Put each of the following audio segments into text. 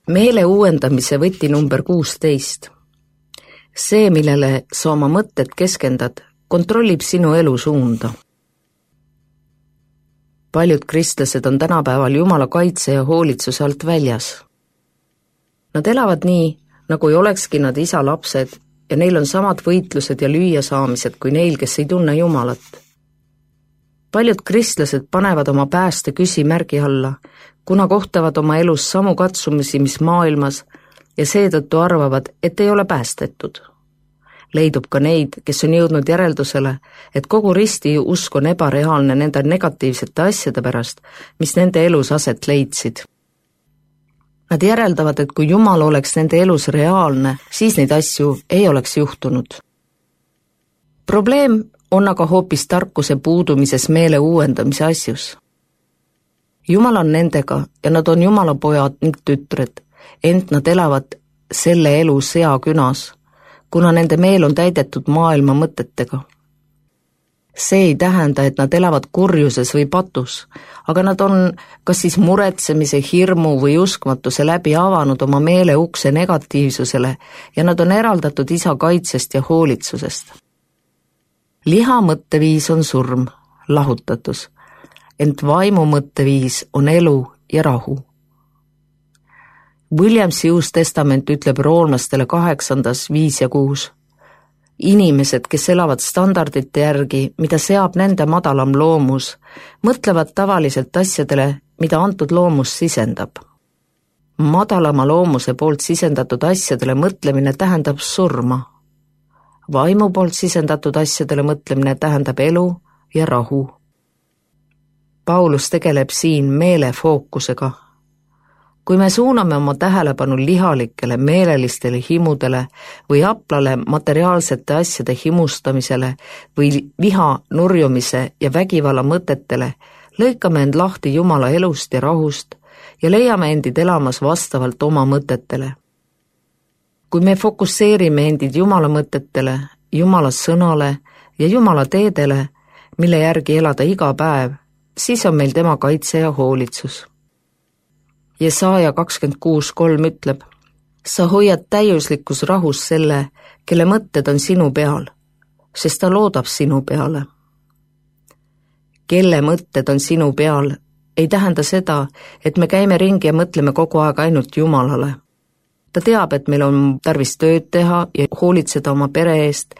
Meele uuendamise võti number 16. See, millele sa oma mõtted keskendad, kontrollib sinu elu suunda. Paljud kristlased on tänapäeval Jumala kaitse ja hoolitsuse alt väljas. Nad elavad nii, nagu ei olekski nad isa lapsed ja neil on samad võitlused ja lüüasaamised kui neil, kes ei tunne Jumalat. Paljud kristlased panevad oma pääste küsimärgi alla, kuna kohtavad oma elus samu katsumisi, mis maailmas, ja seetõttu arvavad, et ei ole päästetud. Leidub ka neid, kes on jõudnud järeldusele, et kogu risti usk on ebareaalne nende negatiivsete asjade pärast, mis nende elus aset leidsid. Nad järeldavad, et kui Jumal oleks nende elus reaalne, siis neid asju ei oleks juhtunud. Probleem on aga hoopis tarkuse puudumises meele uuendamise asjus. Jumal on nendega ja nad on Jumala pojad ning tütred, ent nad elavad selle elu seakünas, kuna nende meel on täidetud maailma mõtetega. See ei tähenda, et nad elavad kurjuses või patus, aga nad on kas siis muretsemise, hirmu või uskmatuse läbi avanud oma meele ukse negatiivsusele ja nad on eraldatud isa kaitsest ja hoolitsusest. Liha mõtteviis on surm, lahutatus, ent vaimu mõtteviis on elu ja rahu. Williamsi Uus Testament ütleb roomlastele 8. 5 ja 6. Inimesed, kes elavad standardite järgi, mida seab nende madalam loomus, mõtlevad tavaliselt asjadele, mida antud loomus sisendab. Madalama loomuse poolt sisendatud asjadele mõtlemine tähendab surma. Vaimu poolt sisendatud asjadele mõtlemine tähendab elu ja rahu. Paulus tegeleb siin meele fookusega. Kui me suuname oma tähelepanu lihalikele meelelistele himudele või aplale materiaalsete asjade himustamisele või viha, nurjumise ja vägivalla mõtetele, lõikame end lahti Jumala elust ja rahust ja leiame endid elamas vastavalt oma mõtetele. Kui me fokusseerime endid Jumala mõtetele, Jumala sõnale ja Jumala teedele, mille järgi elada iga päev, siis on meil tema kaitse ja hoolitsus. Jesaja 26:3 ütleb, sa hoiad täiuslikus rahus selle, kelle mõtted on sinu peal, sest ta loodab sinu peale. Kelle mõtted on sinu peal, ei tähenda seda, et me käime ringi ja mõtleme kogu aeg ainult Jumalale. Ta teab, et meil on tarvis tööd teha ja hoolitseda oma pere eest,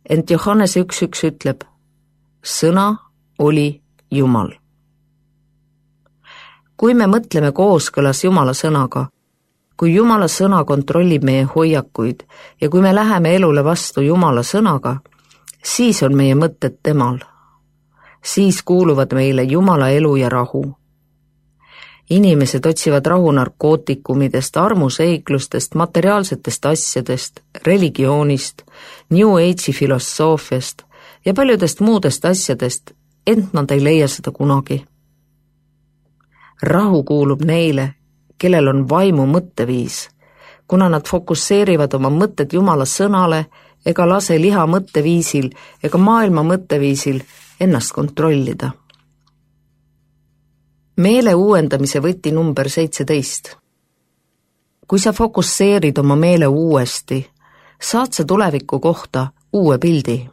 ent Johannese 1:1 ütleb, sõna oli Jumal. Kui me mõtleme kooskõlas Jumala sõnaga, kui Jumala sõna kontrollib meie hoiakuid ja kui me läheme elule vastu Jumala sõnaga, siis on meie mõtted temal. Siis kuuluvad meile Jumala elu ja rahu. Inimesed otsivad rahu narkootikumidest, armuseiklustest, materiaalsetest asjadest, religioonist, New Age'i filosoofiast ja paljudest muudest asjadest, ent nad ei leia seda kunagi. Rahu kuulub neile, kellel on vaimu mõtteviis, kuna nad fokusseerivad oma mõtted Jumala sõnale ega lase liha mõtteviisil ega maailma mõtteviisil ennast kontrollida. Meele uuendamise võti number 17. Kui sa fokusseerid oma meele uuesti, saad sa tuleviku kohta uue pildi.